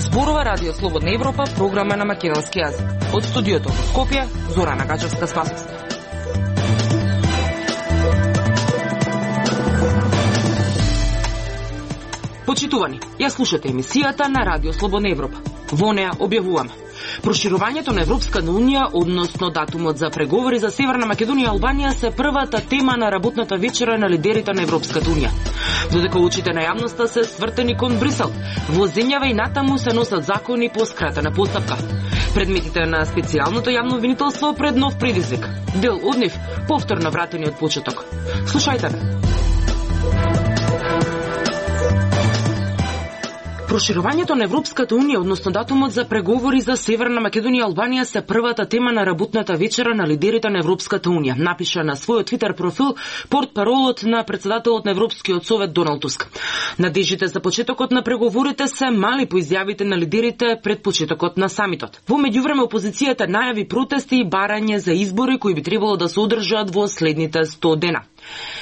Зборува Радио Слободна Европа, програма на македонски јазик. Од студиото во Скопје, Зорана Гачевска-Спасовска. Почитувани, ја слушате емисијата на Радио Слободна Европа. Во неа објавуваме проширувањето на Европската унија, односно датумот за преговори за Северна Македонија и Албанија се првата тема на работната вечера на лидерите на Европската унија. Додека очите на јавноста се свртени кон Брисел, во земјава и натаму се носат закони по скратена постапка. Предметите на специјалното јавно обвинителство пред нов предизвик. Дел од нив повторно вратени од почеток. Слушајте ме. Проширувањето на Европската унија, односно датумот за преговори за Северна Македонија и Албанија се првата тема на работната вечера на лидерите на Европската унија, напиша на својот Твитер профил портпаролот на председателот на Европскиот совет Доналд Туск. Надежите за почетокот на преговорите се мали по изјавите на лидерите пред почетокот на самитот. Во меѓувреме опозицијата најави протести и барање за избори кои би требало да се одржат во следните 100 дена.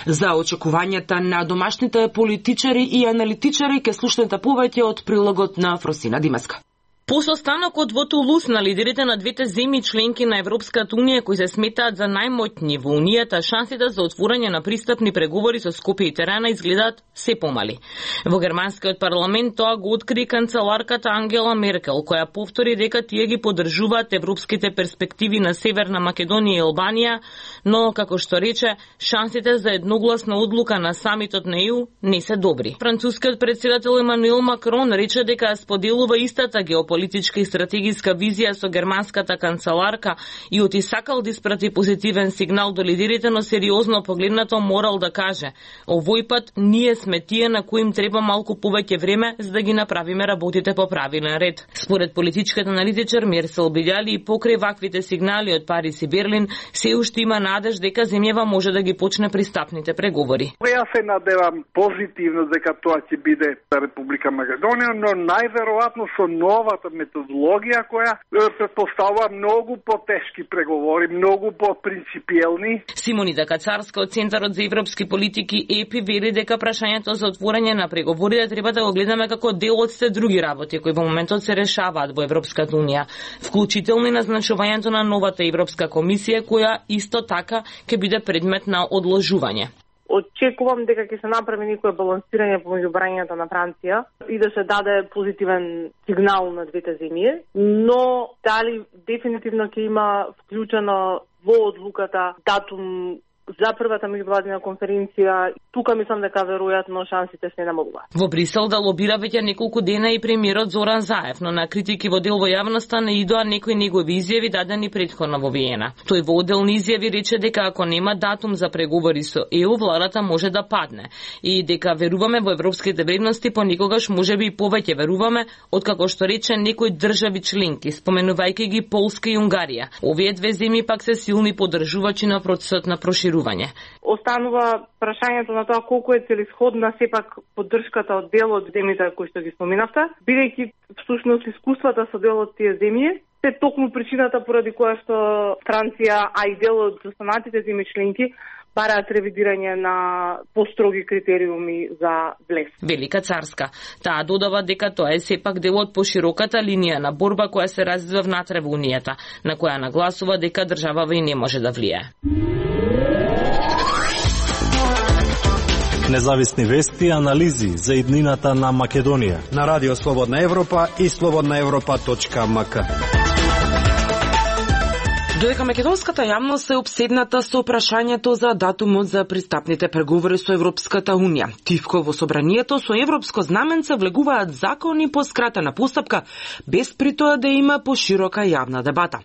За очекувањата на домашните политичари и аналитичари ке слушнете повеќе од прилогот на Фросина Димеска. По состанокот во Тулус на лидерите на двете земји членки на Европската унија кои се сметаат за најмоćни во унијата, шансите за отворање на пристапни преговори со Скопје и Тирана изгледаат се помали. Во германскиот парламент тоа го откри канцеларката Ангела Меркел, која повтори дека тие ги поддржуваат европските перспективи на Северна Македонија и Албанија, но како што рече, шансите за едногласна одлука на самитот на ЕУ не се добри. Францускиот претседател Емануел Макрон рече дека споделува истата политичка и стратегиска визија со германската канцеларка и оти сакал да испрати позитивен сигнал до лидерите, но сериозно погледнато морал да каже: овој пат ние сме тие на кои им треба малку повеќе време за да ги направиме работите по правилен ред. Според политичката аналитичар Мерсел Бидјали и покрај ваквите сигнали од Париз и Берлин, се уште има надеж дека земјава може да ги почне пристапните преговори. Јас се надевам позитивно дека тоа ќе биде Република Македонија, но најверојатно со новата методологија која предпоставува многу потешки преговори, многу по-принципиелни. Симонита Кацарска од Центарот за европски политики ЕПИ вели дека прашањето за отворање на преговорите треба да го гледаме како дел од се други работи кои во моментот се решаваат во Европската унија, вклучително и назначувањето на новата Европска комисија која исто така ќе биде предмет на одложување. Очекувам дека ќе се направи некое балансирање помеѓу барањата на Франција и да се даде позитивен сигнал на двете земји, но дали дефинитивно ќе има вклучено во одлуката датум за првата меѓувладина конференција, тука мислам дека веројатно шансите се намалуваат. Во Брисел да лобира веќе неколку дена и премиерот Зоран Заев, но на критики во дел во јавноста не идоа некои негови изјави дадени претходно во Виена. Тој во одделни изјави рече дека ако нема датум за преговори со ЕУ, владата може да падне и дека веруваме во европските вредности, понекогаш можеби и повеќе веруваме откако што рече некои држави членки, споменувајќи ги Полска и Унгарија. Овие две земји пак се силни поддржувачи на процесот на проширување. Останува прашањето на тоа колку е целисходна сепак поддршката од дел од земјите кои што ги споминавте, бидејќи всушност искуствата со дел од тие земји се токму причината поради која што Франција, а и дел од останатите земји членки бараат ревидирање на построги критериуми за влез. Велика Царска. Таа додава дека тоа е сепак дел од пошироката линија на борба која се развива внатре во Унијата, на која нагласува дека државава и не може да влијае. Независни вести и анализи за иднината на Македонија на Радио Слободна Европа и slobodnaevropa.mk. Додека македонската јавност е обседната со прашањето за датумот за пристапните преговори со Европската унија, тивко во собранието со европско знаменце влегуваат закони по скратена постапка, без при тоа да има поширока јавна дебата.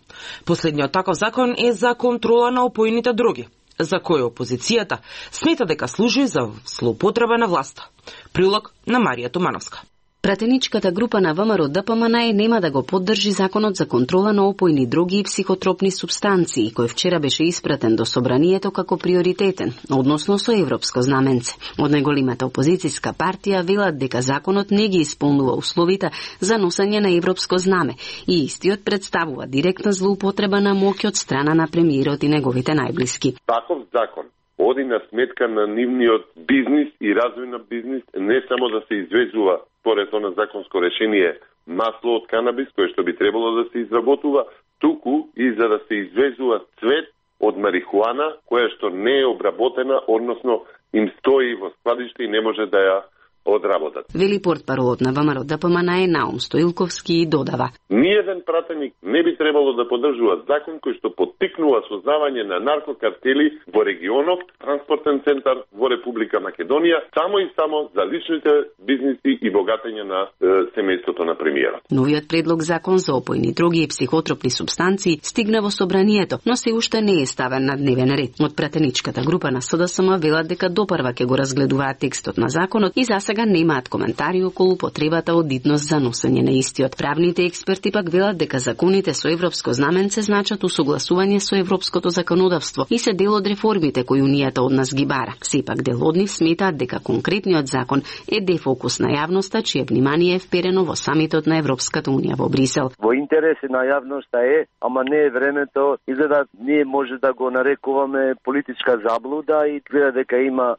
Последниот таков закон е за контрола на опојните дроги, за кој опозицијата смета дека служи за злоупотреба на власта. Прилог на Марија Тумановска. Пратеничката група на ВМРО ДПМН нема да го поддржи законот за контрола на опојни дроги и психотропни супстанции, кој вчера беше испратен до собранието како приоритетен, односно со европско знаменце. Од најголемата опозицијска партија велат дека законот не ги исполнува условите за носење на европско знаме и истиот представува директна злоупотреба на моќ од страна на премиерот и неговите најблиски. Таков закон оди на сметка на нивниот бизнис и развој на бизнис, не само да се извезува според она законско решение масло од канабис, кое што би требало да се изработува, туку и за да се извезува цвет од марихуана, која што не е обработена, односно им стои во складиште и не може да ја одработат. Вели портпаролот на ВМРО ДПМН Наум Стоилковски и додава: Ниеден пратеник не би требало да поддржува закон кој што поттикнува создавање на наркокартели во регионов транспортен центар во Република Македонија, само и само за личните бизниси и богатење на семејството на премиерот. Новиот предлог закон за опојни дроги и психотропни супстанции стигна во собранието, но се уште не е ставен на дневен ред. Од пратеничката група на СДСМ велат дека допрва ќе го разгледуваат текстот на законот и за сега немаат коментари околу потребата од идност за носење на истиот. Правните експерти пак велат дека законите со европско знаменце значат усогласување со европското законодавство и се дел од реформите кои Унијата од нас ги бара. Сепак дел од нив сметаат дека конкретниот закон е дефокус на јавноста, чие внимание е вперено во самитот на Европската Унија во Брисел. Во интерес на јавноста е, ама не е времето, изгледа ние може да го нарекуваме политичка заблуда и изгледа дека има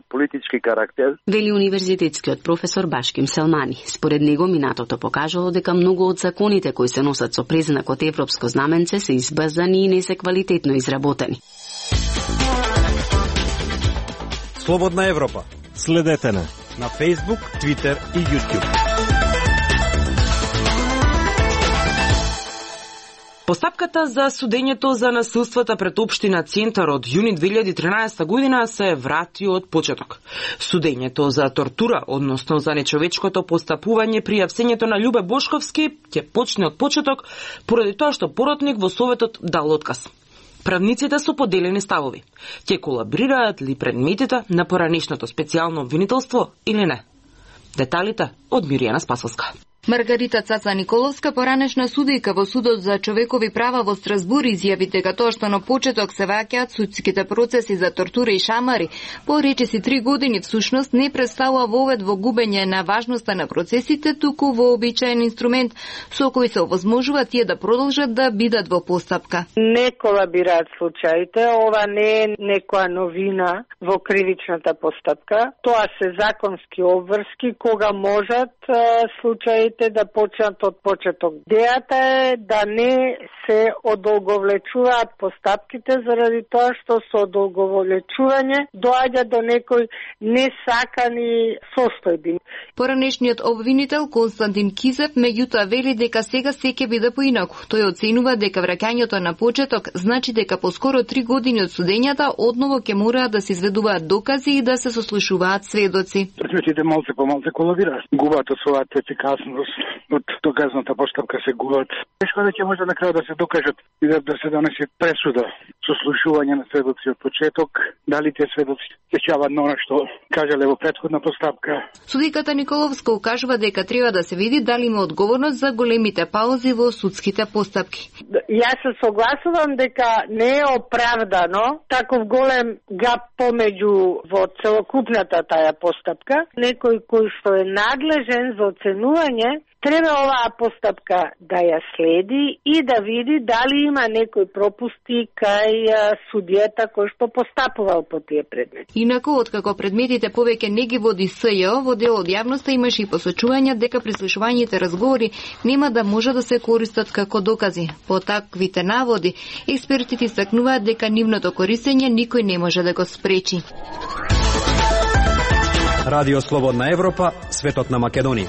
политички карактер. Вели универзитетскиот професор Башким Селмани. Според него минатото покажало дека многу од законите кои се носат со признакот европско знаменце се избрзани и не се квалитетно изработени. Слободна Европа. Следете на Facebook, Twitter и YouTube. Постапката за судењето за насилствата пред општина Центар од јуни 2013 година се врати од почеток. Судењето за тортура, односно за нечовечкото постапување при апсењето на Љубе Бошковски, ќе почне од почеток поради тоа што поротник во Советот дал отказ. Правниците со поделени ставови. Ќе колаборираат ли предметите на поранешното специјално обвинителство или не? Деталите од Миријана Спасовска. Маргарита Цаца Николовска, поранешна судијка во Судот за човекови права во Страсбур, изјави дека тоа што на почеток се ваќаат судските процеси за тортура и шамари, по речиси 3 години всушност не представува вовед во губење на важноста на процесите, туку вообичаен инструмент со кој се овозможува тие да продолжат да бидат во постапка. Не колабираат случаите, ова не е некоја новина во кривичната постапка. Тоа се законски обврски кога можат случаите да почнат од почеток. Идејата е да не се одолговлечуваат постапките заради тоа што со одолговлечување доаѓа до некои несакани состојби. Поранешниот обвинител Константин Кизев меѓутоа вели дека сега се ќе биде поинаку. Тој оценува дека враќањето на почеток значи дека поскоро 3 години од судењата одново ќе мораат да се изведуваат докази и да се сослушуваат сведоци. Предметите малце по малце колабираат. Губат од својата ефикасност, од доказната постапка се губат. Тешко да ќе може на крај да се докажат и да се донесе пресуда. Сослушување на сведоци од почеток, дали те сведоци сеќаваат на она што кажале во претходна постапка. Судиката Николовска укажува дека треба да се види дали има одговорност за големите паузи во судските постапки. Јас се согласувам дека не е оправдано таков голем гап помеѓу во целокупната таа постапка. Некој кој што е надлежен за оценување треба оваа постапка да ја следи и да види дали има некои пропусти кај судијата кој што постапувал по тие предмети. Инаку, откако предметите повеќе не ги води СЈО, во дел од јавноста имаше и посочувања дека прислушувањите разговори нема да може да се користат како докази. По таквите наводи, експертите истакнуваат дека нивното користење никој не може да го спречи. Радио Слободна Европа, светот на Македонија.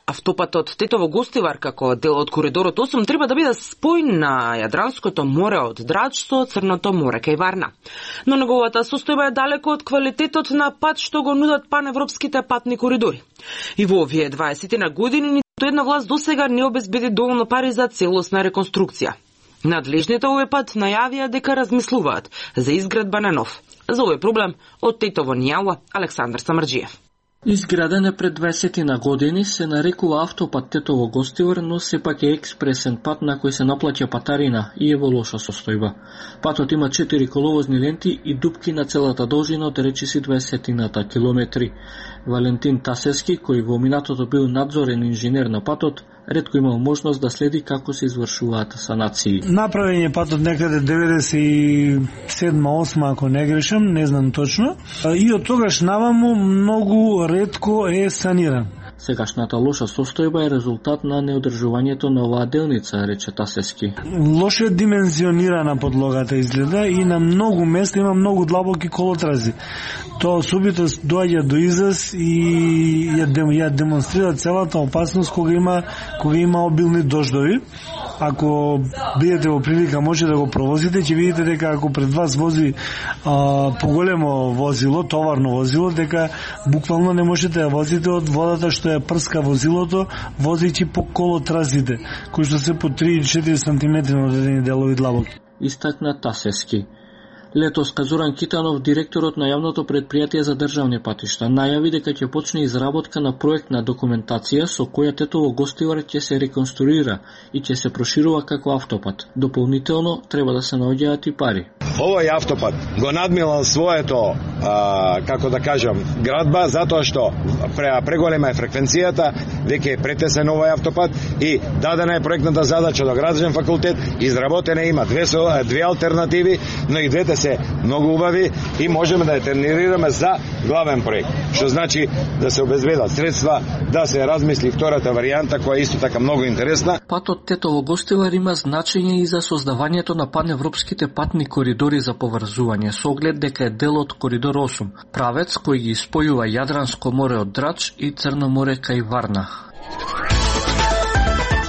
Автопатот Тетово-Гостивар како дел од коридорот 8 треба да биде спој на Јадранското море од Драч со Црното море кај Варна. Но неговата состојба е далеко од квалитетот на пат што го нудат паневропските патни коридори. И во овие 20 на години ниту една власт досега не обезбеди доволно пари за целосна реконструкција. Надлежните овој пат најавија дека размислуваат за изградба на нов. За овој проблем од Тетово ни јавува Александар Самарџиев. Изграден е пред 20 на години, се нарекува автопат Тетово-Гостивар, но сепак е експресен пат на кој се наплаќа патарина и е во лоша состојба. Патот има 4 коловозни ленти и дупки на целата должина од речиси 20 километри. Валентин Тасевски, кој во минатото бил надзорен инженер на патот, ретко имал можност да следи како се извршуваат санации. Направен е патот некаде 97-8, ако не грешам, не знам точно. И од тогаш наваму многу ретко е саниран. Сегашната лоша состојба е резултат на неодржувањето на оваа делница, рече Тасески. Лошо димензионирана подлогата изгледа и на многу места има многу длабоки колотрази. Тоа особито доаѓа до израз и ја демонстрира целата опасност кога има обилни дождови. Ако бидете во прилика може да го провозите, ќе видите дека ако пред вас вози поголемо возило, товарно возило, дека буквално не можете да возите од водата што ја прска возилото, возејќи по колотразите, кои што се по 3-4 см на одредени делови длабоки. Истакна Тасески. Летоска Зоран Китанов, директорот на јавното претпријатие за државни патишта, најави дека ќе почне изработка на проектна документација со која Тетово Гостивар ќе се реконструира и ќе се проширува како автопат. Дополнително треба да се наоѓаат и пари. Овој автопат го надмилал своето, како да кажам, градба, затоа што преголема е фреквенцијата, веќе е претесен овој автопат и дадена е проектната задача до градско факултет, изработена има две алтернативи, но и двете се многу убави и можеме да ја терминираме за главен проект, што значи да се обезбедат средства, да се размисли втората варијанта која е исто така многу интересна. Патот Тетово Гостивар има значење и за создавањето на паневропските патни коридори за поврзување, со оглед дека е дел од Коридор 8, правец кој ги спојува Јадранско море од Драч и Црно море кај Варна.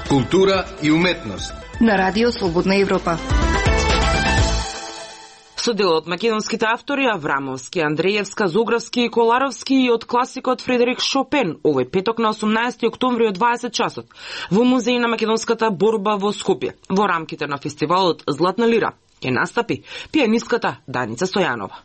Култура и уметност на Радио Слободна Европа. Со дел од македонските автори Аврамовски, Андреевска, Зографски и Коларовски и од класикот Фредерик Шопен, овој петок на 18 октомври од 20 часот во Музеј на македонската борба во Скопје, во рамките на фестивалот Златна лира, ќе настапи пианистката Даница Стојанова.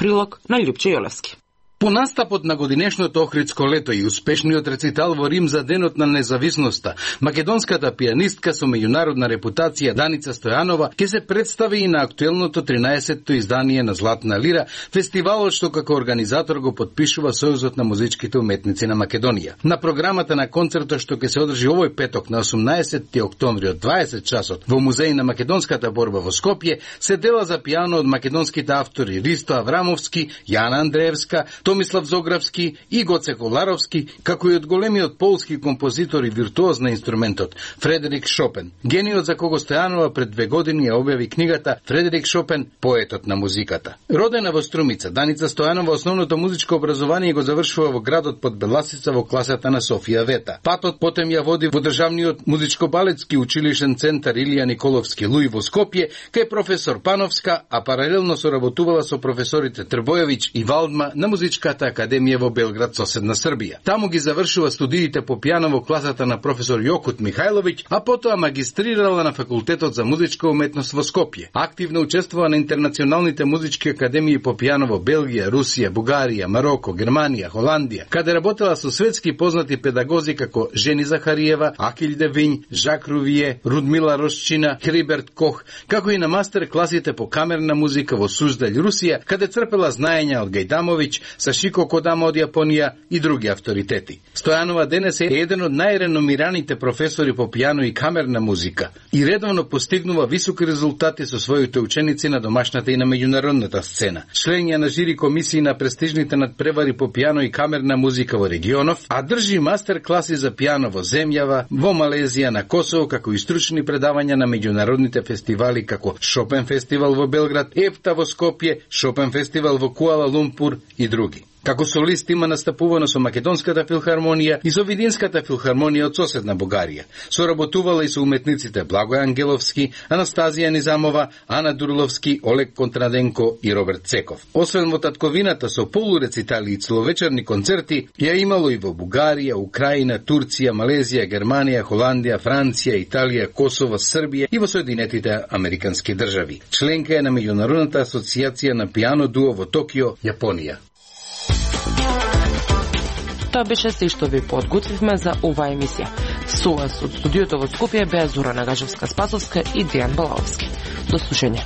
Прилог на Љупче Јолевски. По настапот на годинешното Охридско лето и успешниот рецитал во Рим за Денот на независноста, македонската пианистка со меѓународна репутација Даница Стојанова ќе се представи и на актуелното 13-то издание на Златна лира, фестивалот што како организатор го подпишува Сојузот на музичките уметници на Македонија. На програмата на концертот што ќе се одржи овој петок на 18 октомври од 20 часот во Музеј на македонската борба во Скопје се дела за пијано од македонските автори Ристо Аврамовски, Јана Андреевска, Томислав Зографски и Гоце Коларовски, како и од големиот полски композитор и виртуоз на инструментот Фредерик Шопен. Гениот за кого Стојанова пред 2 години ја објави книгата Фредерик Шопен, поетот на музиката. Родена во Струмица, Даница Стојанова основното музичко образование го завршува во градот Подбеласица во класата на Софија Вета. Патот потем ја води во државниот музичко-балетски училишен центар Илија Николовски Луи во Скопје, кај професор Пановска, а паралелно соработувала со професорите Трбојовиќ и Валдма на Музичката академија во Белград, соседна Србија. Таму ги завршува студиите по пијано во класата на професор Јокут Михајловиќ, а потоа магистрирала на факултетот за музичка уметност во Скопје. Активно учествува на интернационалните музички академии по пијано во Белгија, Русија, Бугарија, Мароко, Германија, Холандија, каде работела со светски познати педагози како Жени Захариева, Акил Девињ, Жак Рувие, Рудмила Росчина, Хриберт Кох, како и на мастер класите по камерна музика во Суздалј, Русија, каде црпела знаења од Гајдамовиќ, Сашико Кодама од Јапонија и други авторитети. Стојанова денес е еден од најреномираните професори по пијано и камерна музика и редовно постигнува високи резултати со своите ученици на домашната и на меѓународната сцена. Член е на жири комисии на престижните надпревари по пијано и камерна музика во регионов, а држи мастер класи за пијано во земјава, во Малезија, на Косово, како и стручни предавања на меѓународните фестивали како Шопен фестивал во Белград, ЕФТА во Скопје, Шопен фестивал во Куала Лумпур и други. Како солист има настапувано со Македонската филхармонија и со Видинската филхармонија од соседна Бугарија. Соработувала и со уметниците Благој Ангеловски, Анастазија Низамова, Ана Дурловски, Олег Контраденко и Роберт Цеков. Освен во татковината со полурецитали и целовечерни концерти, ја имало и во Бугарија, Украина, Турција, Малезија, Германија, Холандија, Франција, Италија, Косово, Србија и во Соединетите Американски држави. Членка е на Меѓународната асоциација на пијано дуо во Токио, Јапонија. Тоа беше се што ви подготвивме за оваа емисија. Со вас од студиото во Скопје беа Зорана Гажевска-Спасовска и Дејан Балаовски. До слушање.